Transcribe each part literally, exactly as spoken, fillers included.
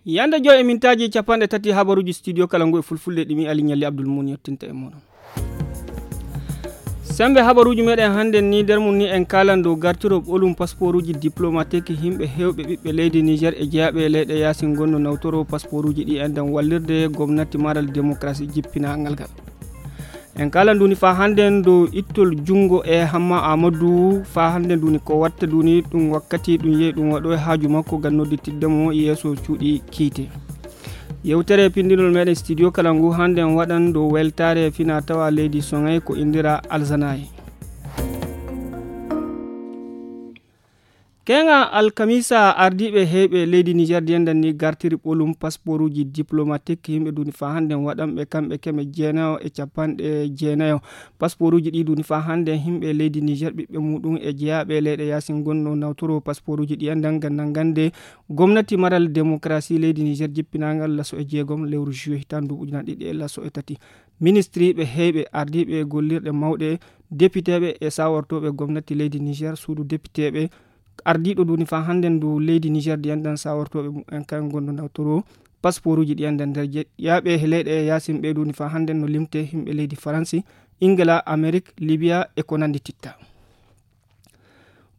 Yande joy e mintaaji capanɗe tati habaruuji studio kala ngu e fulfulde ɗimi Ali Ñalli Abdul Muun yettinta e mooɗon. Sembe habaruuji meɗen hannden ni nder mum ni en kaalan dow gartiro ɓolum pasporuuji diplomatique yimɓe heewɓe ɓiɓɓe leydi Niger e jeyaaɓe e leyɗe yaasin ngonno nawtoro pasporuuji ɗi enɗen wallirde gomnati maral démocratie jippinangal ngal. En kaalan nduni faa hannden dow ittol junngo e Hamma Amadou faa hannden nduni ko watta nduni ɗum wakkati ɗum yehi ɗum waɗo e haaju makko ngam nodditidde mo yeeso cuuɗi kiite. Yewtere pinndinol meɗen studio kala ngu hannden waɗan dow weltaare fina tawa leydi Soŋay ko indira Alzanaye. Keŋa alkamisa ardiiɓe heyɓe leydi Niger diyandan ni gartiri ɓolum pasporuuji diplomatique yimɓe duni faa hannden waɗanɓe kamɓe keme jeenayo e capanɗe jeenayo. Pasporuuji ɗi duni faa hannden yimɓe leydi Niger ɓiɓɓe muɗum e jeyaaɓe leyɗe yaasin gonno nawtoro pasporuuji ɗi enɗan nganndan ngannde gomnati maral démocratie leydi Niger jippinangal laso e jeegom lewru juillet hitan duuɓi ujunaaji ɗiɗi e laso e tati. Ministriiɓe heyɓe ardiiɓe gollirɗe mawɗe depiteeɓe e sawortooɓe gomnati leydi Niger suudu depiteeɓe ardiiɗo duni faa hannden ndu leydi Niger ɗi enɗan sawortooɓe mumen kan gonno nawtoro pasporuuji ɗi enɗan nder je- yaaɓe e leyɗe e yaasin ɓe duni faa hannden no limte yimɓe leydi Faransi, Ingila, Amerik, Libiya e ko nanndi titta.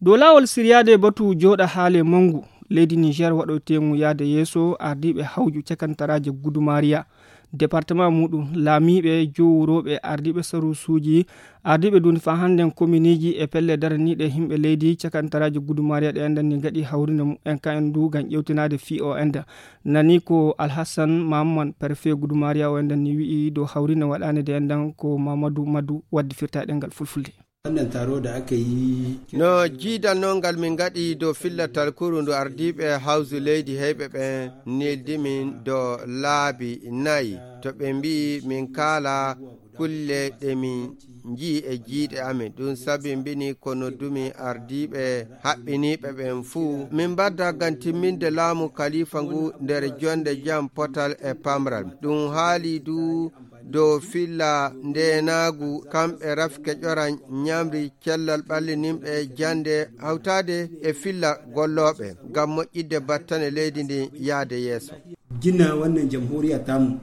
Dow laawol siryaade batu jooɗa haale manngu leydi Niger waɗoyteemu yaade yeeso ardiiɓe hawju cakantaraaje Gudumariya, departement muɗum, laamiiɓe, jowurooɓe, ardiiɓe sarusuuji, ardiiɓe duni faa hannden komineeji e pelle daraniiɗe yimɓe leydi cakantaraaje Gudumariya ɗe enɗan ni ngaɗi hawrinde mumen kan en ndu ngam ƴewtinaade fii o enɗan. Nani ko Alhassan Mahamman, préfet Gudumariya o enɗan ni wi'i dow hawrinde waɗaande de enɗan ko Mamadou Madou waddi firtaade ngal fulfulde. Wannan taro da aka yi. No jiidal non ngal min ngaɗi dow fillatal kuru ndu ardiiɓe hawsu leydi heyɓe ɓen neldi min do laabi nayi to ɓe mbi'i min kaala kulle ɗe min nji'i e jiiɗe amin. Ɗum sabi mbini ko noddumi ardiiɓe haɓɓiniiɓe ɓen fuu. Min mbadda ngam timminde laamu kalifa ngu nder jonde jam potal e pamral. Ɗum haali du dow filla ndeenaagu, kamɓe rafke ƴora ñamri cellal ɓallininɓe jannde hawtaade e filla gollooɓe ngam moƴƴidde battane leydi ndin yahde yeeso. Gina wannan jamhuriya tamu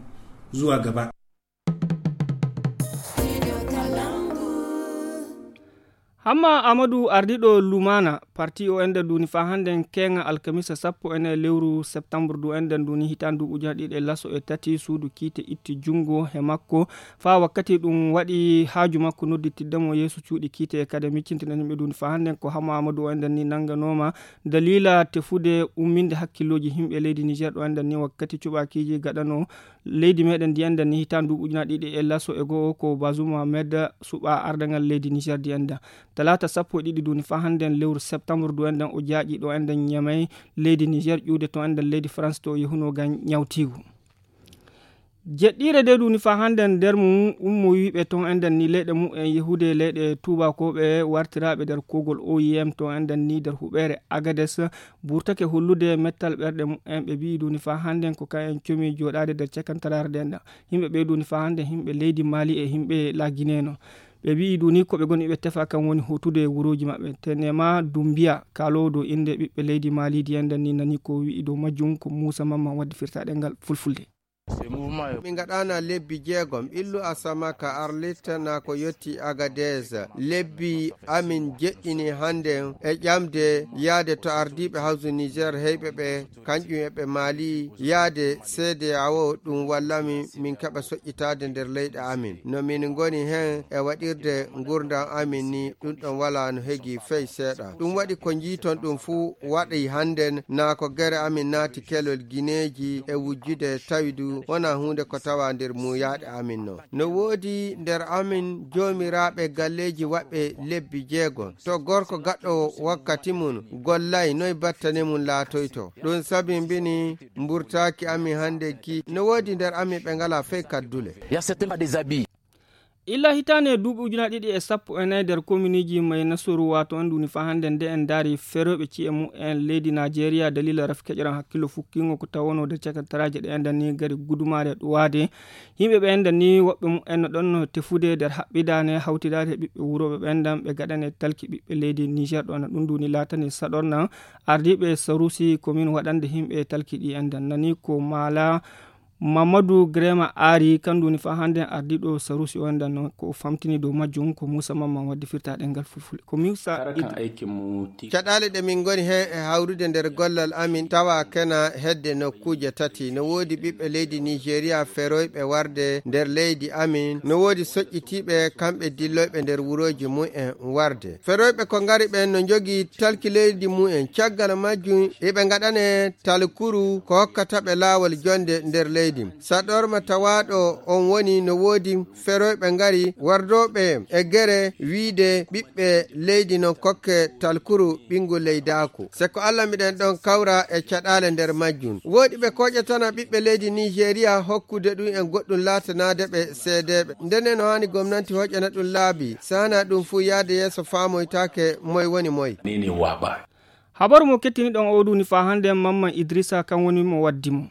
zuwa gaba. Hamma Amadou ardiiɗo Lumana parti o enda duni faa hannden keeŋa alkamisa sappo e nayi lewru septembre du enda duni hitaande duuɓi ujunaaji ɗiɗi e laso e tati suudu kiite itti junngo he makko faa wakkati ɗum waɗi haaju makko nodditidde mo yeeso cuuɗi kiite e kadi miccintinani ɓe duni faa hannden ko Hamma Amadou o enda ni nannganooma daliila tefude umminde hakkillooji yimɓe leydi Niger ɗo enda ni wakkati cuɓaakiiji gaɗano leydi meɗen ndi enɗan ni hitaande duuɓi ujunaaji ɗiɗi e laso e go'o ko Bazoum Mohamed suɓa ardangal leydi Niger ndi enɗan. Talaata sappo e ɗiɗi duni faa hannden lewru septembre du enɗan o jaaƴi ɗo enɗan Ñamey leydi Niger ƴuwde to enɗan leydi France to o yehunoo ngam ñawtiigu. Jeɗɗiire de duni faa hannden nder mum ummoyiiɓe ton enɗan ni leyɗe mumen yehude leyɗe tuubakooɓe wartiraaɓe nder kogol O I M to enɗan ni nder huɓeere Agades burtake hollude mettal ɓerɗe mumen. Ɓe mbi'i duni faa hannden ko kayen comi jooɗaade nder cakantaraare nden ɗan. Yimɓe ɓe duni faa hannden yimɓe leydi Mali e yimɓe la Guinée non. Ɓe mbi'i duni ko ɓe ngoni ɓe tefa kan woni hotude wurooji maɓɓe. Tenema Dumbiya kaaloowo dow innde ɓiɓɓe leydi Mali ndi enɗan ni nani ko wi'i dow majjum ko Muusa Mamman waddi firtaɗe ngal fulfulde. Min ngaɗana lebbi jeegom ɓillu Asamaka Arlit na ko yotti Agadez. Lebbi amin jeɗɗini hannden e ƴamde yaade to ardiiɓe hawsu Niger heyɓe ɓe kanƴum e ɓe Mali yaade C D A O ɗum walla min min keɓa soƴƴitaade nder leyɗe amin. No min ngoni hen e waɗirde ngurndan amin ni ɗum ɗon wala no hegi fey seeɗa. Ɗum waɗi ko njiiton ɗum fuu waɗi hannden na ko gere amin naati kelol gineeji e wujjude tawi du wona huunde ko tawa nder muuyaaɗe amin non. No woodi nder amin joomiraaɓe galleeji waɗɓe lebbi jeegom. To gorko gaɗɗo wakkati mum gollay noy battane mum laatoyto. Ɗum sabi mbini mburtaaki amin hannden ki no woodi nder amin ɓe ngala fey kaddule. Il y a certains pas des habits. Illa hitaande duuɓi ujunaaji ɗiɗi e sappo e nayi nder kominiji May Nasuru, waato en duuni faa hannde nde en ndaari feroyɓe ci'e mumen leydi Naajeeriya daliila raf keƴran hakkillo fukkingo ko tawonoo nder cakantaraaje ɗe enɗan ni gari gudumaare ɗuwaade. Yimɓe ɓe enɗan ni woɓɓe mumen no ɗon no tefude nder haɓɓidaane hawtidaade e ɓiɓɓe wurooɓe ɓe enɗan ɓe gaɗane talki ɓiɓɓe leydi Niger ɗo enɗan ɗum duuni laatani saɗorna ardiiɓe sarusi komin waɗande yimɓe talki ɗi enɗan nani ko maala Mamadou Grema Ari, kandu woni faa hannde ardiiɗo sarusi o, enden noon ko famtini dow majjum, ko Moussa Mamman waddi firtaaɗe ngal fulfulde. Ko Moussa Idi. Caɗaale ɗe min ngoni heen e hawrude nder gollal amin tawa kena hedde nokkuuje tati. No woodi ɓiɓɓe leydi Nigeria feroyɓe warde nder leydi amin. No woodi soƴƴitiiɓe kamɓe dilloyɓe nder wurooji mumen warde. Feroyɓe ko ngari ɓen no njogii talki leydi mumen. Caggal majjum, eɓe ngaɗane talkuru ko hokkata ɓe laawol jonde nder leydi. Saɗorma tawaaɗo on woni no woodi feroyɓe ngari wardooɓe e gere wiide ɓiɓɓe leydi non kokke talkuru ɓingu leydaaku. Se ko Alla miɗen ɗon kawra e caɗaale nder majjum. Woodi ɓe koƴatana ɓiɓɓe leydi Nigeria hokkude ɗum en goɗɗum laatanaade ɓe seedeeɓe. Ndene no haani gomnanti hoƴana ɗum laabi. Sana ɗum fuu yaade yeeso faamoytaake moy woni moy. Habaru mo kettiniɗon o duuni faa hannde Mamman Idrissa kan woni mo waddi mo.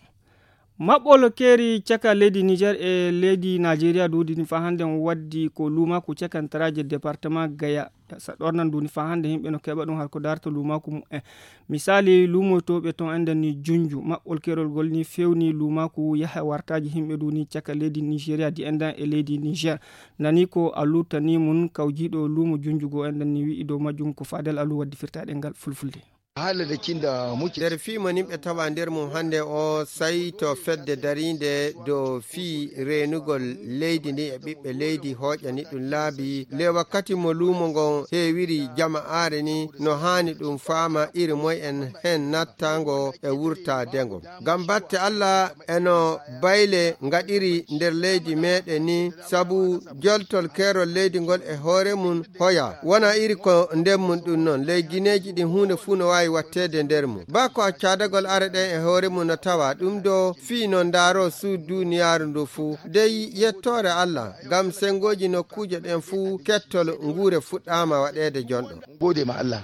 Maɓɓol keeri caka leydi Niger e leydi Nigeria duudini faa hannde waddi ko luumaku cakantaraaje département Gaya. Sa ɗornan duuni faa hannde yimɓe no keɓa ɗum har ko darta luumaku mumen. Misali luumoytooɓe ton enden ni junju maɓɓol keerol gol ni fewni luumaku yaha wartaaji yimɓe duuni caka leydi Nigeria di endan e leydi Niger. Nani ko Allu tani mun kawjiiɗo luumo junjugo endan ni wi'i dow majjum ko Fadel Allu waddi firtaaɗe ngal fulfulde. Nder fii mo nimɓe tawa nder mum hannde o, sai to fedde dariinde dow fii reenugol leydi ndi e ɓiɓɓe leydi hooƴani ɗum laabi. Le wakkati mo luumo ngon heewiri jama'aare ni, no haani ɗum faama iri moy en hen nattango e wurtaadengo. Ngam batte Alla, e no bayle ngaɗiri nder leydi meeɗen ni, sabu joltol keerol leydi ngol e hoore mum hoya. Wona iri ko nden mum ɗum non, ley gineeji ɗin huunde fuu no waawi watteede nder mum. Baa ko accaadagol are ɗen e hoore mum no tawa ɗum do fii no ndaaroo suudu duuniyaaru ndu fuu. Dey yettoore Alla, ngam sengooji nokkuuje ɗen fuu kettol nguure fuɗɗaama waɗeede jonɗo. Goode ma Alla.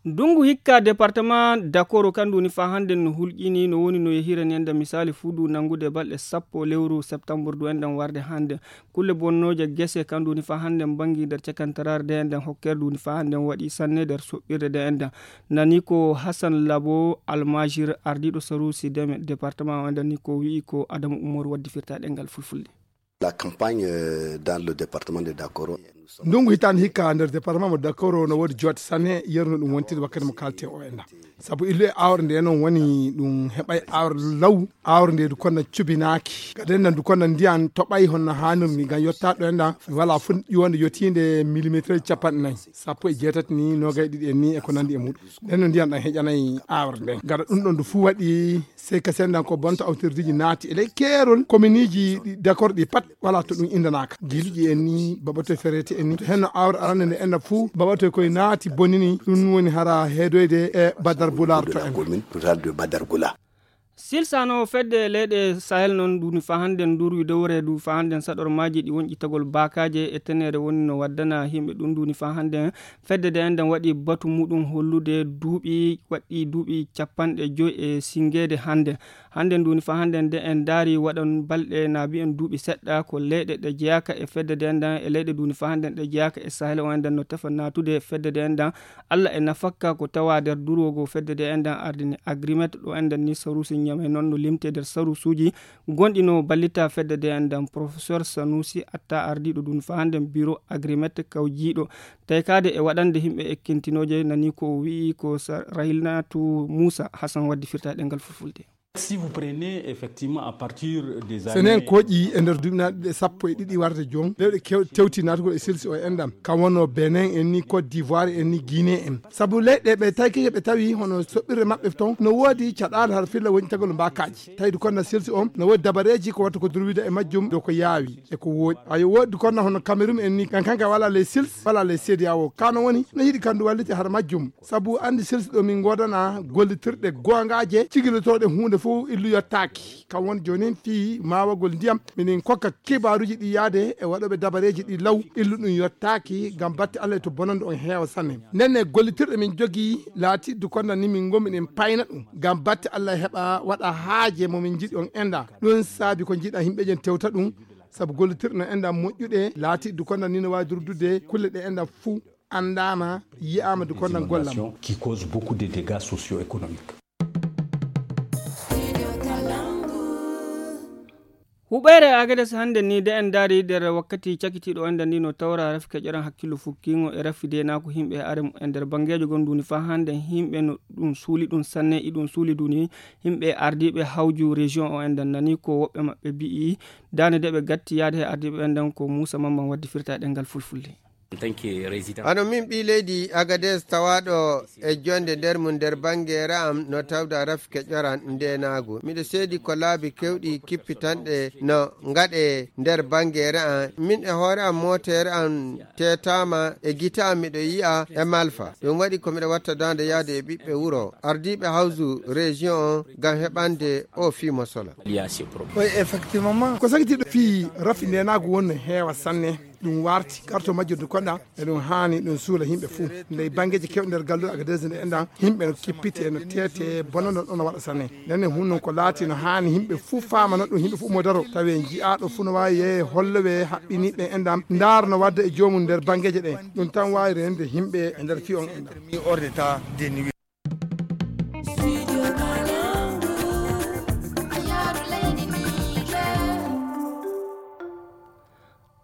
Ndungu hikka département Dakoro kandu woni faa hannde no hulƴini, no woni no yehirani enden misali fuu du nanngude balɗe sappo lewru septembre du enden warde hannde. Kulle bonnooje gese kandu woni faa hannde mbangi nder cakantaraare de enden hokkere du woni faa hannde waɗi sanne nder soɓɓirde de enden. Nani ko Hassan Labo Almajir ardiiɗo sarusi deme département o enden ni ko wi'i ko Adamu Umaru waddi firtaaɗe ngal fulfulde. La campagne, euh, dans le département de Dakoro. Ndungu hitaande hikka nder département mo Dakoro no woodi joote sanne yerno ɗum wontide wakkati mo kalten o enna. Sabu illu e awre nde noon woni ɗum heɓay awre law, awre nde du konna cubinaaki. Gaden nan du konna ndiyan toɓay honno haanirmi ngam yottaɗo enna wala fu ƴiwonde yotiinde millimetre capanɗe nayi. Sappo e jeetati ni, nogay ɗiɗi en ni e ko nandi e muɗum. Nden no ndiyan ɗan heƴanay awre nden. Gaɗa ɗum ɗon du fu waɗi Sey ka sendan ko bonta autorité ji naati e ley keerol kominiiji ɗi dakor ɗi pat wala to ɗum indanaaka. Giluƴi en ni, baɓatoy ferete en ni. To henno awre arande nde enna fuu, baɓatoy koye naati bonini, ɗum woni hara heedoyde e Badar Bulaar to en. Commune rurale de Badar Gula. Silsano fedde leyɗe Sahel noon duuni faa hannden nduurwi dowre du faa hannden saɗormaaji ɗi wonƴitagol baakaaje e tenere woni no waddana yimɓe ɗum duuni faa hannden. Fedde de enɗan waɗi batu muɗum hollude duuɓi waɗɗi duuɓi capanɗe joy e singeede hannde. Hannde nduuni faa hannde nde en ndaari waɗan balɗe na mbiyen duuɓi seɗɗa ko leyɗe ɗe jeyaaka e fedde de enɗan e leyɗe nduuni faa hannde ɗe jeyaaka e Sahel o enɗan no tefa naatude e fedde de enɗan. Alla e nafakka ko tawa nder durwogo fedde de enɗan ardini agrimet ɗo enɗan ni sarusi ñame noon no limte nder sarusuuji gonɗi no ballita fedde de enɗan. Professeur Sanusi Atta ardiiɗo nduuni faa hannde biro agrimet kawjiiɗo taykaade e waɗande yimɓe ekkintinooje nani ko o wi'i ko sa-, Rahilnatu Muusa Hasan waddi firta e ɗemngal fulfulde. Si vous prenez effectivement à partir des années. So en kooƴi e nder duuɓi na ɗiɗi sappo e ɗiɗi warde jooni, lewɗe kew-, tewti naatugol e silsi o enɗan. Kam wonno Benin en ni, Côte d'Ivoire en ni, Guinée en. Sabu leyɗe ɓe taykike ɓe tawi hono soɓɓirde maɓɓe ton no woodi caɗaale har filla woñitagol mbaakaaji. Tawi du konna silsi on no woodi dabareeji ko watta ko durwida e majjum dow ko yaawi e ko wooɗi. Ayo woodi konna hono Cameroun en ni, kan kanka wala les sils, wala les C D A O. Kano woni no yiɗi kandu wallite har majjum. Sabu anndi silsi ɗo min ngoodana gollitirɗe goongaaje cigilotooɗe huunde fof. Fof illu yottaaki. Kam won joonin fii maawagol ndiyam, minen kokka kibaaruuji ɗi yaade e waɗooɓe dabareeji ɗi law, illu ɗum yottaaki ngam batte Allah e to bonande on heewa sanne. Nden ne gollitirɗo min jogii laatiiɗo konda ni min ngommi ɗen payna ɗum ngam batte Allah heɓa waɗa haaje mo min njiɗi on enda. Ɗum saabi ko njiɗa yimɓe jen tewta ɗum, sabu gollitirɗo no enda moƴƴuɗe laatiiɗo konda ni no waawi durdude kulle ɗe enda fuu anndaama, yi'aama du konda gollam. Qui cause beaucoup de dégâts socio-économiques. Huɓeere Agades hannde ni de en ndaari nder wakkati cakitiiɗo enda ni no tawra rafi keƴoran hakkillo fukkiingo e rafi deenaaku yimɓe e are mum e nder banngeejo gon duni faa hannde yimɓe no ɗum suuli ɗum sanne iɗum suuli duni yimɓe ardiiɓe hawju région o enda nani ko woɓɓe maɓɓe mbi'i daande de ɓe gatti yaade he ardiiɓe enden ko Muusa Mamman waddi firta e ɗemngal fulfulde. Hano min ɓii leydi Agades tawaaɗo e jonde nder mum nder banngeere am no tawda rafke ƴoran ndeenaagu. Miɗo seedi ko laabi kewɗi kippitanɗe no ngaɗe nder banngeere am. Min e hoore am mootere am teetaama e gite am miɗo yi'a e malfa. Ɗum waɗi ko miɗo watta daande yaade e ɓiɓɓe wuro ardiiɓe hawsu région on ngam heɓande o fii mosola. Ko sakitiiɗo fii rafi ndeenaagu won no heewa sanne. Ɗum warti karto majjirdu koɗa e ɗum haani ɗum suula yimɓe fuu. Ndey banngeeji kewɗi nder galluɗo Agadez nde enɗan yimɓe no kippite no teete bonano ɗon waɗa sanne. Nden ne hun non ko laati no haani yimɓe fuu faamano ɗum yimɓe fuu mo daro tawi en ji'aaɗo fuu no waawi yehe hollowe haɓɓiniiɓe enɗan ndaara no wadda e joomum nder banngeeje ɗen. Ɗum tan waawi renende yimɓe e nder fii on enɗan.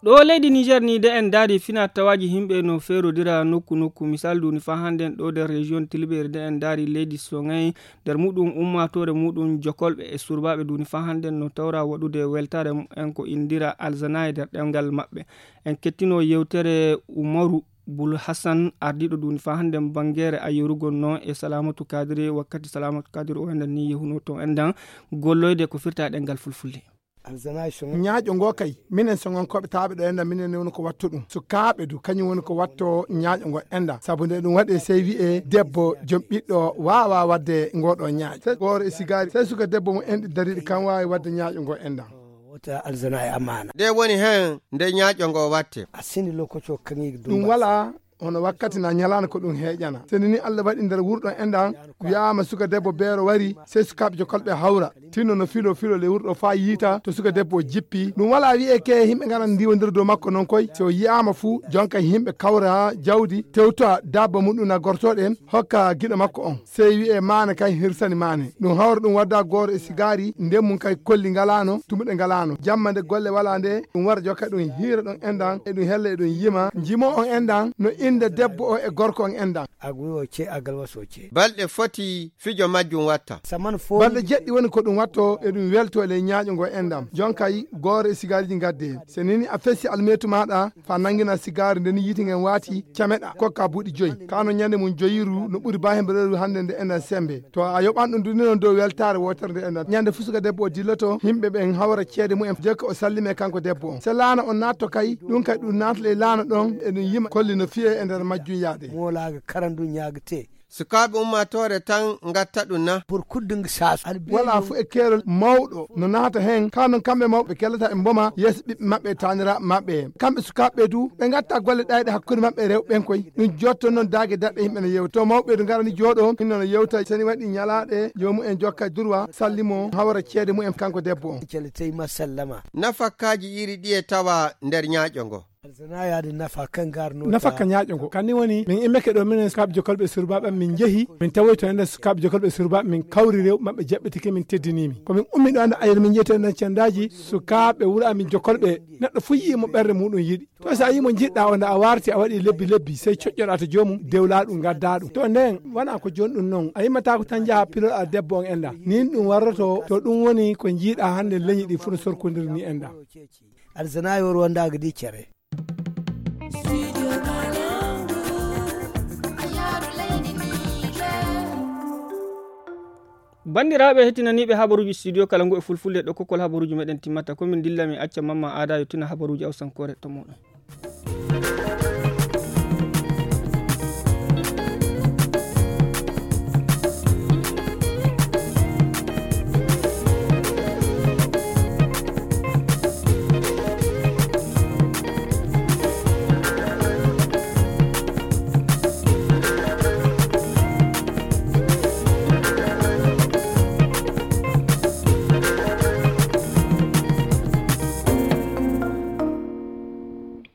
Ɗo leydi Niger ni de en daari fina tawaaji yimɓe no feerodira nokku nokku. Misal duni fa hannden ɗo nder région Tilberi de en daari leydi Songay nder muɗum ummaatoore muɗum jokolɓe e surbaaɓe duni fa hannden no tawra waɗude weltaare mumen ko indira alzana e nder ɗemngal maɓɓe. En kettino yewtere Umaru Bul Hassan ardiiɗo duni fa hannden bangeere a yorugol no e Salamatu Kadiri wakkati Salamatu Kadiri o enɗan ni yehuno ton enɗan golloyde ko firta e ɗemngal fulfulde. Ñaaƴo ngo kay minen Soŋankooɓe taaɓe ɗo enɗan minen ne woni ko watto ɗum. Sukaaɓe du kañum woni ko watto ñaaƴo ngo enɗan sabu nde ɗum waɗe sey wi'e debbo joom ɓiɗɗo waawa waɗde ngo ɗo ñaaƴo. Sey gooro e sigaari sey suka debbo mo enɗi dariiɗi kam waawi waɗde ñaaƴo ngo enɗan. Wota alzana e amaana. Nde woni heen nde ñaaƴo ngo watte. A sini lokoco kaŋŋe ɗum wala hono wakkati na ñalaande ko ɗum heeƴana. Seni ni Allah waɗi nder wurɗo enɗan wi'aama suka debbo beero wari sey sukaaɓe jokolɓe hawra tinno no filo filo le wurɗo faa yiita to suka debbo o jippi. Ɗum wala wi'e ke yimɓe ngaran ndiwondira dow makko non koy si o yi'aama fuu jonka yimɓe kawra jawdi tewta dabba muɗum na gortoɗen hokka giɗo makko on. Sey wi'e maane kan hirsani maane. Ɗum hawra ɗum wadda gooro e sigaari nden mum kay kolli ngalaano tumuɗe ngalaano jamma nde golle wala nde ɗum wara jokka ɗum hiira ɗon enɗan e ɗum hella e ɗum yima jimo on enɗan no innde debbo o e gorko on enɗan. Agu o ce agal waso ce. Balɗe foti fijo majjum watta. Saman fo balɗe jeɗɗi woni ko ɗum watto e ɗum welto e ley ñaaƴo ngo enɗan jonkay gooro e sigaariji ngadde. Se nini a fesi almetu maɗa fa nangina sigaari nden yiiti ngen waati cameɗa kokka buuɗi joyi kano ñande mum joyiru no ɓuri ba hembe reeru hannde nde enɗan sembe. To a yoɓan ɗum duni noon dow weltaare wootere nde enɗan ñande fusuka debbo o dilloto yimɓe ɓen hawra ceede mumen jekka o sallime kanko debbo on se laana on naatto kay ɗum kay ɗum naatale laana ɗon e ɗum yima kolli no fiye e nder majjum yaade. Moolaaga karandu ñaagete. Sukaaɓe ummaatoore tan ngatta ɗum na. Pour kudde ngi saas wala fu e keerol mawɗo no naata heen ka noon kamɓe mawɓe kellata e mboma yeeso ɓiɓɓe maɓɓe e taaniraaɓe maɓɓe kamɓe sukaaɓe du ɓe ngatta golle ɗayɗe hakkunde maɓɓe e rewɓe ɓen koy. Ɗum jotto noon daage daɗɗe yimɓe no yewta to mawɓe du ngarani jooɗo hinno no yewta seni waɗi ñalaaɗe joomu en jokka durwa sallimo hawra ceede mumen kanko debbo on. Cele tey ma sallama. Nafakkaaji iri ɗi e tawa nder ñaaƴo ngo. Nafa ka ñaaƴo ngo kanni woni min immeke ɗo minen sukaaɓe jokolɓe e surbaaɓe am min njehi min tawoyto enen sukaaɓe jokolɓe e surbaaɓe min kawri rew maɓɓe jaɓɓitike min teddinimi ko min ummi ɗo anda ayir min jeyto enen cendaaji sukaaɓe wuro amin jokolɓe. Neɗɗo fof yii mo ɓernde muɗum yiɗi to so a yii mo jiɗɗa o nda a warti a waɗi lebbi lebbi sey coƴƴoɗa to joomum dewla ɗum gadda ɗum to nden wona ko joni ɗum noon a yimmatako tan jaaha piloɗa debbo on enɗa nin ɗum warroto to ɗum woni ko jiiɗa hannde leñi ɗi fof no sorkodiri ni enɗa. Aɗa sanayi o rondaga di cere. Banndiraaɓe hettinaniiɓe habaruuji studio kala ngu e fulfulde ɗo kokkol habaruuji meɗen timmata ko min dilla min acca mamma aada yottina habaruuji awsankoore to muɗum.